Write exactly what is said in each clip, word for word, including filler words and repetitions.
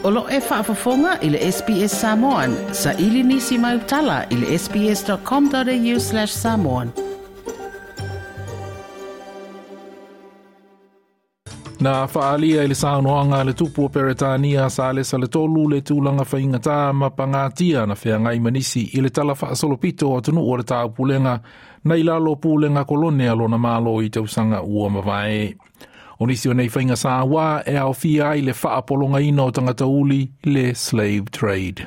O lo e faafofoga i le S B S Samoan, sa ili nisi mai utala i le S B S dot com dot A U slash samoan. Na faalia i le saunoaga a le tupu o Peretania Salesa le Tolu le tulaga faigata ma pagatia na feagai ma nisi i le tala faasolopito o atunuu o le taupulega na i lalo pulega kolone a lona malo i tausaga ua mavae. O nisi o nei faiga sauā e aofia ai le faapologaina o tagata uli, le slave trade.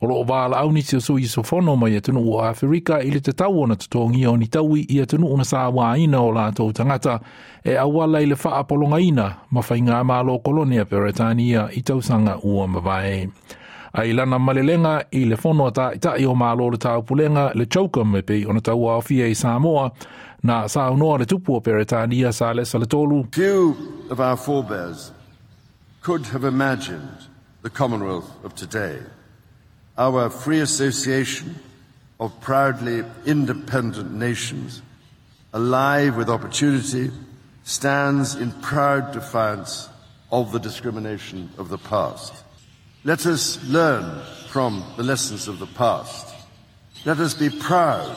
O loo valaau nisi o sui usufono mai atunuu o Aferika i le tatau ona totogia o ni taui i atunuu na sauaina o latou tagata e auala i le faapologaina ma faiga malo kolone a Peretania i tausaga ua mavae. Ai lana malelega i le fono a ta'ita'i o malo o le taupulega, le CHOGM, e pei ona tauaofia i Samoa, na saunoa le tupu o Peretania Salesa le Tolu. Few of our forebears could have imagined the Commonwealth of today. Our free association of proudly independent nations, alive with opportunity, stands in proud defiance of the discrimination of the past. Let us learn from the lessons of the past. Let us be proud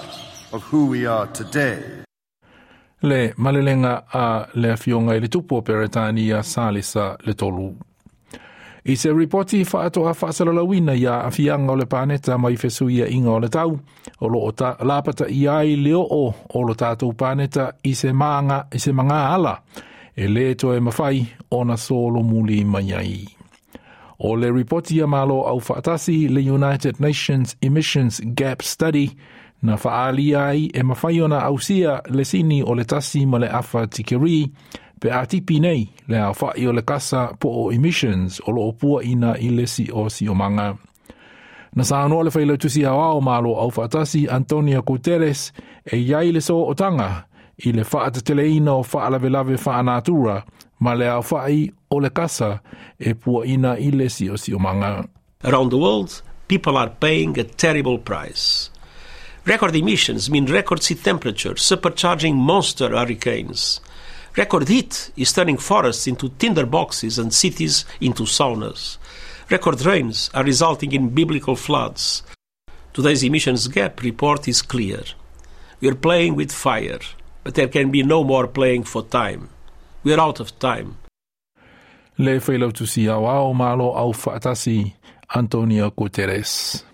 of who we are today. Le malelega a le afioga i le tupu o Peretania Salesa le Tolu. I se ripoti faatoa faasalalauina i aafiaga o le paneta mai fesuiaiga o le tau, o loo ta, lapata i ai le oo o lo tatou paneta i se maga, i se magā ala, e lē toe mafai ona solomuli mai ai. O le ripoti a Malo au faatasi, le United Nations Emissions Gap Study, na faalia ai e mafai ona ausia le sini o le tasi ma le afa tikeri pe a tipi nei le aofa'i o le kasa po o emissions o loo puaʻina i le siosiomaga. Na saunoa le failautusi aoao Malo au faatasi Antonio Guterres e iai le sootaga i le faateteleina o faalavelave faanatura ma le aofa'i o le kasa e puaʻina i le siosiomaga. Around the world, people are paying a terrible price. Record emissions mean record sea temperatures, supercharging monster hurricanes. Record heat is turning forests into tinderboxes and cities into saunas. Record rains are resulting in biblical floods. Today's emissions gap report is clear. We are playing with fire, but there can be no more playing for time. We are out of time. Le failautusi aoao Malo au faatasi Antonio Guterres.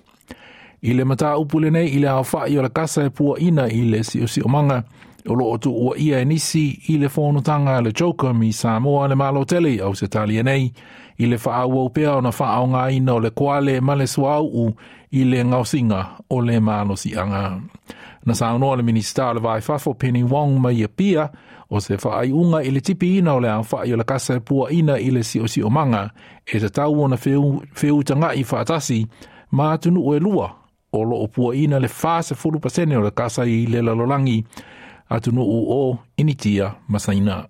I le mataupu lenei i le aofa'i o le kasa e puaʻina i le siosiomaga, o loo tuuaia e nisi i le fonotaga a le CHOGM i Samoa le Malo tele Ausetalia nei i le faaauau pea ona faaaogaina o le koale ma le suauu i le gaosiga o le malosiaga. Na saunoa le Minisita o le Va i Fafo Penny Wong mai Apia o se faaiuga i le tipiina o le aofa'i o le kasa e puaʻina i le siosiomaga e tatau ona feutagaʻi faatasi ma atunuu e lua o loo puaʻina le fasefulu pasene o le kasa i le lalolagi, atunuu o Initia ma Saina.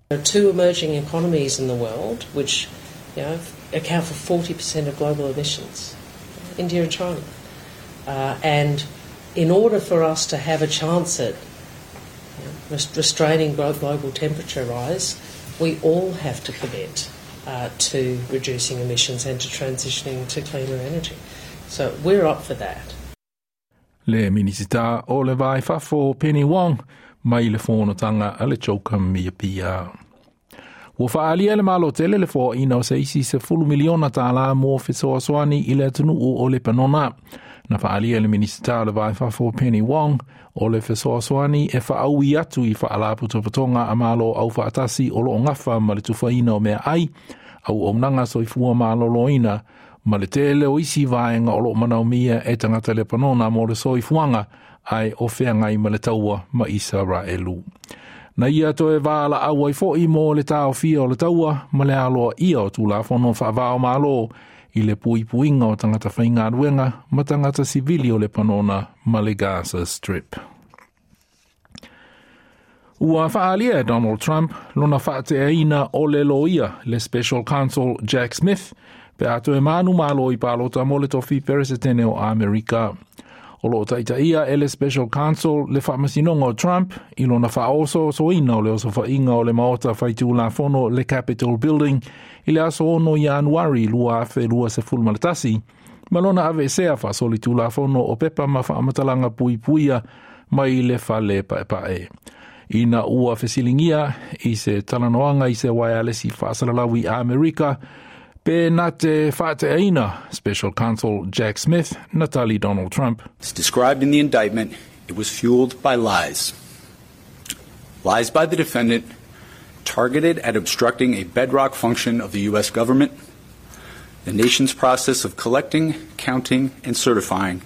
There are two emerging economies in the world which you know, account for forty percent of global emissions, India and China. Uh, and in order for us to have a chance at you know, restraining global temperature rise, we all have to commit uh, to reducing emissions and to transitioning to cleaner energy. So we're up for that. Le Minisita o le Va i Fafo Penny Wong mai le fonotaga a le CHOGM i Apia. Ua faaalia le Malo tele le foaʻina o se isi sefulu miliona tālā mo fesoasoani i le atunuu o Lepanona. Na faaalia le Minisita o le Va i Fafo Penny Wong o le fesoasoani e faaui atu i faalapotopotoga a malo au faatasi o loo gafa ma le tufaina o meaai, auaunaga soifua malōlōina ma le tele o isi vaega o loo manaomia e tagata Lepanona mo le soifuaga ae o feagai ma le taua ma Isaraelu. Na ia toe valaau ai foʻi mo le taofia o le taua ma le aloaia o tulafono faava o malo i le puipuiga o tagata faigaluega ma tagata sivili o Lepanona ma le Gaza Strip. Ua faaalia e Donald Trump lona faateaina o le loia le Special Counsel Jack Smith pe a toe manumalo i palota mo le tofi peresetene o Amerika. O loo taitaia e le Special Counsel le faamasinoga o Trump i lona faaosoosoina o le osofaiga o le maota faitulafono le Capitol Building i le aso ono Ianuari lua afe lua sefulu ma le tasi, ma lona aveesea faasolitulafono o pepa ma faamatalaga puipuia mai le fale paepae. Ina ua fesiligia i se talanoaga i se waialesi faasalalaui Amerika, pe na te faateaina Special Counsel Jack Smith na tali Donald Trump. As described in the indictment, it was fueled by lies. Lies by the defendant targeted at obstructing a bedrock function of the U S government, the nation's process of collecting, counting, and certifying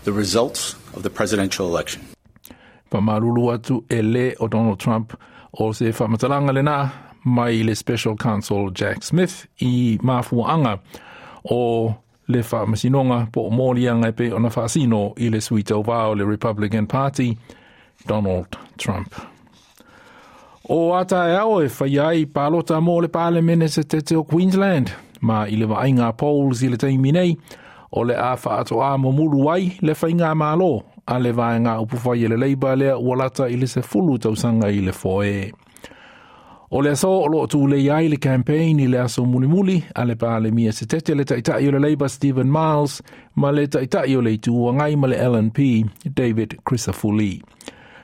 the results of the presidential election. Pamalulu atu e le o Donald Trump o se faamatalaga lena mai le Special Counsel Jack Smith i mafuaanga o le faamasinoga po o moliaga e pei ona faasino i le sui tauvā o le Republican Party, Donald Trump. O ataeao e fai ai palota mo le Palemene se tete o Queensland, ma i le vaaiga polls i le taimi nei, o le a faatoa momulu ai le faiga malo a le vaega upufai e le Labour lea ua lata i le sefulu tausaga i le foe. O le aso o loo tulei ai le campaign i le aso mulimuli a le Palemia se tete le taitai o le Labour Stephen Miles ma le taitai o le Itu Agai ma le L N P David Crisafulli.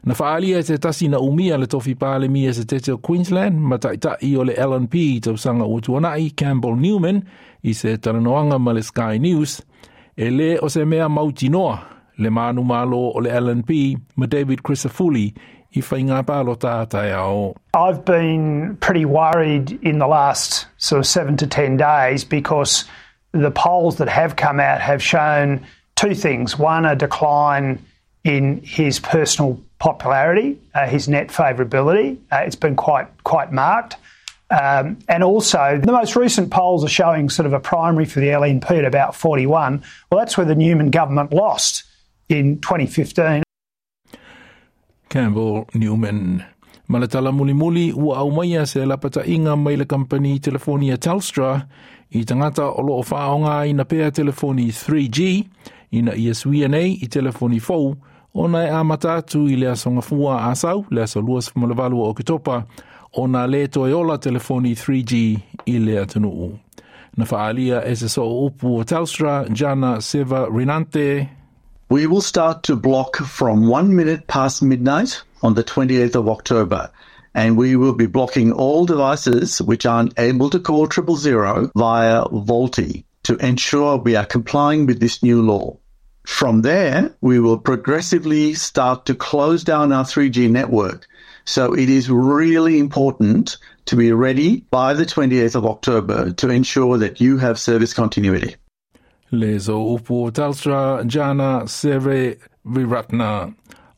Na faalia e te tasi na umia le tofi Palemia se tete o Queensland ma taitai o le L N P tausaga ua tuanai Campbell Newman i se talanoaga ma le Sky News e le o se mea mautinoa le manu malo o le L N P ma David Crisafulli i whainga pālota taeao. I've been pretty worried in the last sort of seven to ten days because the polls that have come out have shown two things. One, a decline in his personal popularity, uh, his net favourability. Uh, it's been quite, quite marked. Um, and also, the most recent polls are showing sort of a primary for the L N P at about forty-one. Well, that's where the Newman government lost in twenty fifteen. Campbell Newman. Ma le tala mulimuli ua aumaia se lapatainga mai le kampani telefonia Telstra i tangata o loo whaonga ina pea telefoni three G ina ia suia nei i telefoni fou ona e amata atu i le aso gafua asau le aso luasefumalevalu o Oketopa ona le toe ola telefoni three G i le atunuu. Na faalia e se soo upu o Telstra, Jana Seva Rinante. We will start to block from one minute past midnight on the twenty-eighth of October, and we will be blocking all devices which aren't able to call triple zero via VoLTE to ensure we are complying with this new law. From there, we will progressively start to close down our three G network. So it is really important to be ready by the twenty-eighth of October to ensure that you have service continuity. Le zo upu Telstra Jana Sere Viratna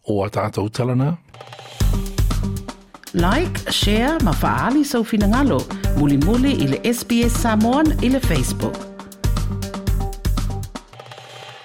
o a tātou talana. Like, share, ma faali sau finangalo, muli muli i le S B S Samoan i le Facebook.